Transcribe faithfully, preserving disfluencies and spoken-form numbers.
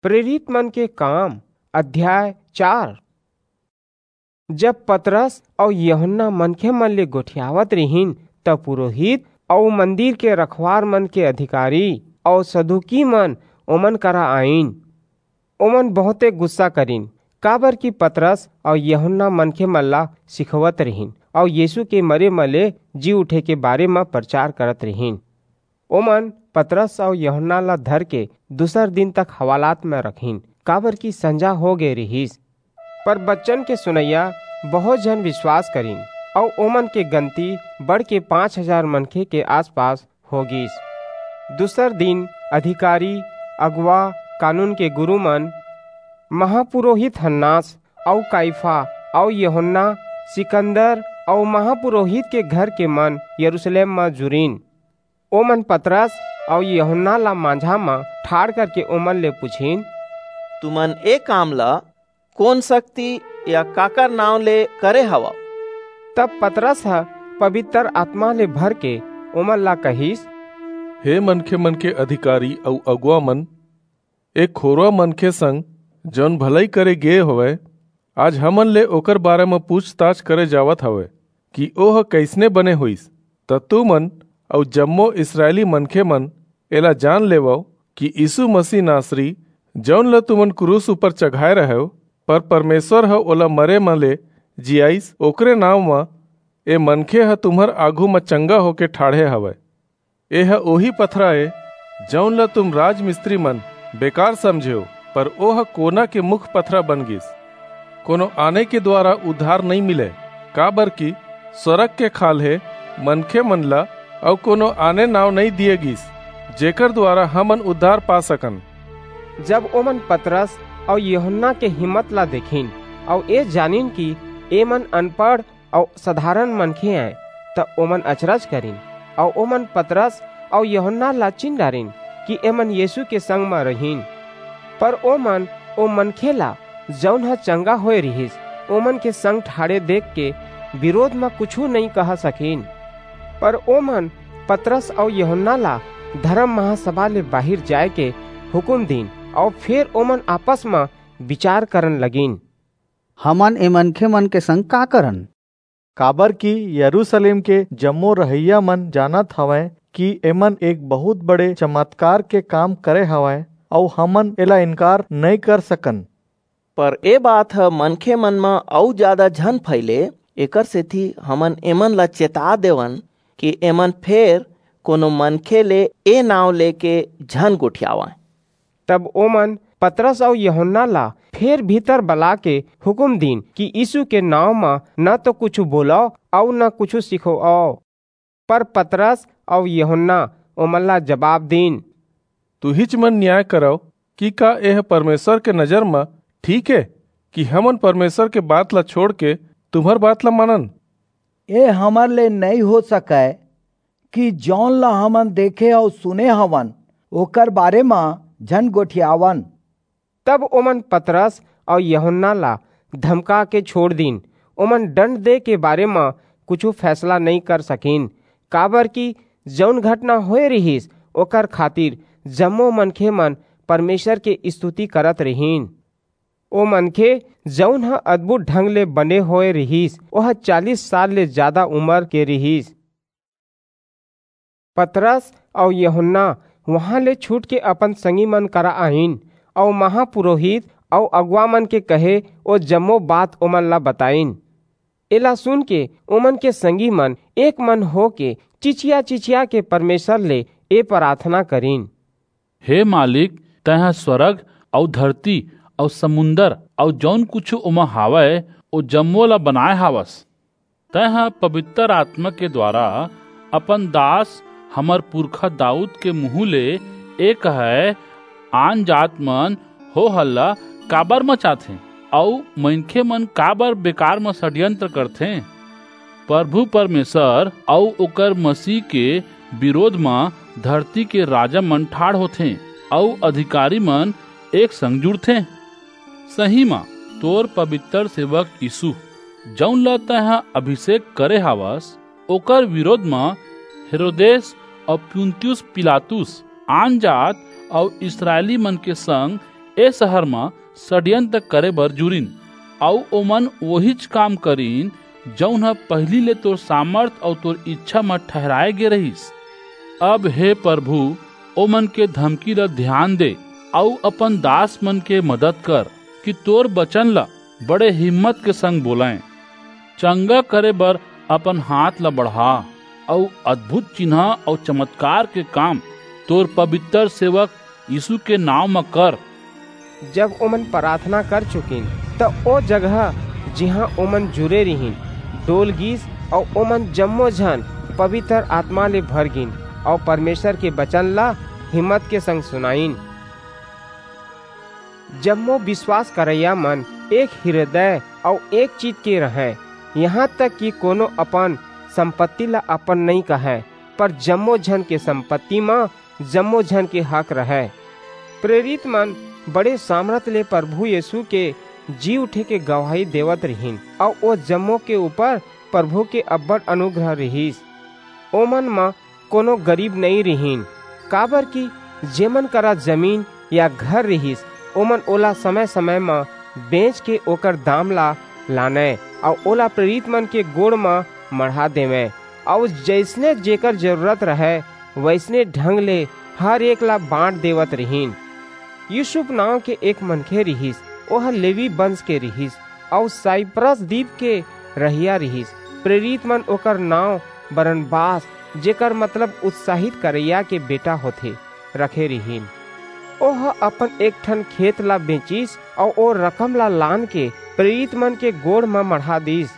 प्रेरित मन के काम, अध्याय चार। जब पतरस अऊ यूहन्ना मनखे मन ले गोठियावत रिहिन, त पुरोहित अऊ मंदिर के रखवार मन के अधिकारी अऊ सदूकी मन ओमन करा आईन। ओमन बहुते गुस्सा करिन, काबर कि पतरस अऊ यूहन्ना मनखे मन ला सिखोवत रिहिन अऊ यीशु के मरे म ले जी उठे के बारे म प्रचार करत रिहिन। ओमन पतरस अऊ यूहन्ना ला धर के दूसर दिन तक हवालात म रखिन, काबर कि संझा हो गे रिहिस। पर बचन के सुनइया बहुत झन विश्वास करिन, अऊ ओमन के गनती बढ़ के पाँच हजार मनखे के आसपास हो गिस। दूसर दिन अधिकारी, अगुवा, कानून के गुरु मन, महापुरोहित हन्नास अऊ काइफा अऊ यूहन्ना, सिकंदर अऊ महापुरोहित के घर के मन यरूशलेम म जुरिन। ओमन पतरस अऊ यूहन्ना ला मांझा म ठाड़ करके ओमन ले पुछिन, "तुमन ए काम ला कोन शक्ति या काकर नांव ले करे हवव?" तब पतरस ह पवित्र आत्मा ले भर के ओमन ला कहिस, "हे मनखे मन के अधिकारी अऊ अगुवा मन, ए खोरवा मनखे संग जऊन भलई करे गे हवय, आज हमन ले ओकर बारे म पूछताछ करे जावत हवय कि ओह कइसने बने होईस। त तुमन अऊ जम्मो इसरायली मनखे मन एला जान लेवव कि यीसू मसीह नासरी, जऊन ल तुमन क्रूस ऊपर चघाय रहेव, पर परमेसर ह ओला मरे म ले जियाईस, ओकरे नांव म ए मनखे ह तुम्हर आघू म चंगा होके ठाढ़े हवय। एह ओही पथरा ए, जऊन ल तुम राजमिस्त्री मन बेकार समझेव, पर ओह कोना के मुख पथरा बन गिस। कोनो आने के दुवारा उद्धार नइं मिलय, काबरकि स्वरग के खाल्हे मनखे मन ला अऊ कोनो आने नांव नइं दिये गिस, जेकर दुवारा हमन उद्धार पा सकन।" जब ओमन पतरस अऊ यूहन्ना के हिम्मत ला देखिन अऊ ए जानिन कि एमन अनपढ़ अऊ सधारन मनखे अंय, त ओमन अचरज करिन, अऊ ओमन पतरस अऊ यूहन्ना ला चिन डारिन कि एमन यीसू के संग म रिहिन। पर ओमन ओ मनखे ला, जऊन ह चंगा होय रिहिस, ओमन के संग ठाढ़े देख के बिरोध म कुछू नइं कह सकिन। पर ओमन पतरस अऊ यूहन्ना ला धरम महासभा ले बाहिर जाय के हुकूम दीन, अऊ फेर ओमन आपस म बिचार करन लगिन, "हमन ए मनखे मन के संग का करन? काबरकि यरूसलेम के जम्मो रहइया मन जानत हवंय कि एमन एक बहुंत बड़े चमतकार के काम करे हवंय, अऊ हमन एला इनकार नइं कर सकन।" पर ए बात ह मनखे मन म अऊ जादा झन फइले, एकरसेति हमन एमन ला चेता देवन कि एमन फेर कोनो मनखे ले ए नांव लेके झन गोठियावंय। तब ओमन पतरस अऊ यूहन्ना ला फेर भीतर बलाके हुकूम दीन कि यीसू के नांव म न तो कुछू बोलव अऊ न कुछू सिखोवव। पर पतरस अऊ यूहन्ना ओमन ला जबाब दीन, "तुहिच मन नियाय करव कि का एह परमेसर के नजर म ठीक ए कि हमन परमेसर के बात ला छोंड़के तुम्हर बात ला मानन? ए हमर ले नइं हो सकय कि जऊन ला हमन देखे अऊ सुने हवन, ओकर बारे म झन गोठियावन।" तब ओमन पतरस अऊ यूहन्ना ला धमकाके छोंड़ दीन। ओमन डंड दे के बारे म कुछू फैसला नइं कर सकिन, काबरकि जऊन घटना होय रिहिस, ओकर खातिर जम्मो मनखे मन परमेसर के इस्तुति करत रिहिन। ओ मनखे, जऊन ह अदभुत ढंग ले बने होय रिहिस, ओह चालीस साल ले जादा उमर के रिहिस। पतरस अऊ यूहन्ना उहां ले छूटके अपन संगी मन करा आईन, अऊ महापुरोहित अऊ अगुवा मन के कहे ओ जम्मो बात ओमन ला बताईन। एला सुनके ओमन के संगी मन एक मन होके चिचिया-चिचिया के परमेसर ले ए पराथना करिन, "हे मालिक, तैं ह स्वरग अऊ धरती अऊ समुंदर अऊ जऊन कुछू ओमा हावय, ओ जम्मो ला बनाय हावस। तैं ह पबितर आतमा के दुवारा अपन दास हमर पुरखा दाऊद के मुहूं ले ए कहय, आनजात मन हो हल्ला काबर मचाथें, अऊ मनखे मन काबर बेकार म षड्यंत्र करथें? परभू परमेसर अऊ ओकर मसीह के बिरोध म धरती के राजा मन ठाढ़ होथें, अऊ अधिकारी मन एक संग जुड़थें। सही म, तोर पबितर सेवक यीसू, जऊन ला तैं ह अभिसेक करे हावस, ओकर बिरोध म हेरोदेस अऊ पुन्तियुस पिलातुस आनजात अऊ इसरायली मन के संग ए शहर म षड्यंत्र करे बर जुरिन, अऊ ओमन ओहीच काम करिन, जऊन ह पहिली ले तोर सामर्थ अऊ तोर इच्छा म ठहराए गे रहिस। अब हे प्रभु, ओमन के धमकी ल ध्यान दे, अऊ अपन दास मन के मदद कर, कि तोर बचन ल बड़े हिम्मत के संग बोलंय। चंगा करे बर अपन हाथ ल बढ़ा, अऊ अद्भुत चिन्ह अऊ चमत्कार के काम तोर पवित्र सेवक यीशु के नांव म कर। जब ओमन प्रार्थना कर चुकिन, त ओ जगह, जिहां ओमन जुरे रिहिन, डोल गीस, अऊ ओमन जम्मो झन पवित्र आत्मा ले भर गिन, अऊ परमेसर के बचन ला हिम्मत के संग सुनाईन। जम्मो बिसवास करइया मन एक हिरदय अऊ एक चित के रहंय, इहां तक कि कोनो अपन संपत्ति ला अपन नइं कहय, पर जम्मो झन के संपत्ति म जम्मो झन के हक रहय। प्रेरित मन बड़े सामरथ ले परभू यीसू के जी उठे के गवाही देवत रिहिन, अऊ ओ जम्मो के ऊपर परभू के अब्बड़ अनुग्रह रिहिस। ओमन म कोनो गरीब नइं रिहिन, काबरकि जेमन करा जमीन या घर रिहिस, ओमन ओला समय-समय म बेंच के ओकर दाम ला लानंय, अऊ ओला प्रेरित मन के गोड़ म मढ़ा देवंय, अऊ जइसने जेकर जरूरत रहय, वइसने ढंग ले हर एक ला बांट देवत रिहिन। यूसुफ नांव के एक मनखे रिहिस, ओह लेवी बंस के रिहिस, अऊ साइप्रस दीप के रहइया रिहिस। प्रेरित मन ओकर नांव बरनबास, जेकर मतलब उत्साहित करइया के बेटा होथे, रखे रिहिन। ओह अपन एक ठन खेत ला बेंचिस अऊ ओ रकम ला लान के प्रेरित मन के गोड़ म मढ़ा दीस।